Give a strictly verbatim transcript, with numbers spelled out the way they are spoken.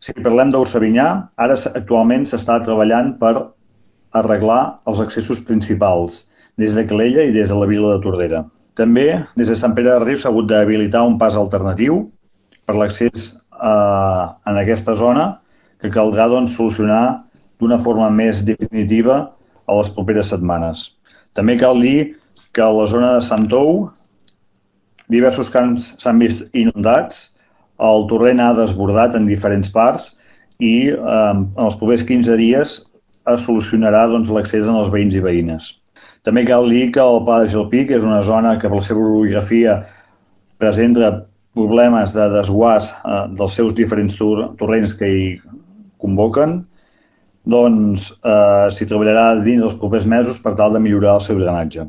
Si parlem d'Orsavinyà, ara actualment s'està treballant per arreglar els accessos principals, des de Calella i des de la vila de Tordera. També, des de Sant Pere de Rius s'ha hagut d'habilitar un pas alternatiu per l'accés eh, en aquesta zona, que caldrà doncs, solucionar d'una forma més definitiva a les properes setmanes. També cal dir que a la zona de Sant Tou diversos camps s'han vist inundats, el torrent ha desbordat en diferents parts i eh, en els propers quinze dies es solucionarà doncs, l'accés als veïns i veïnes. També cal dir que el Pla de Gelpic és una zona que per la seva orografia presenta problemes de desguàs eh, dels seus diferents tor torrents que hi convoquen, doncs eh, s'hi treballarà dins dels propers mesos per tal de millorar el seu drenatge.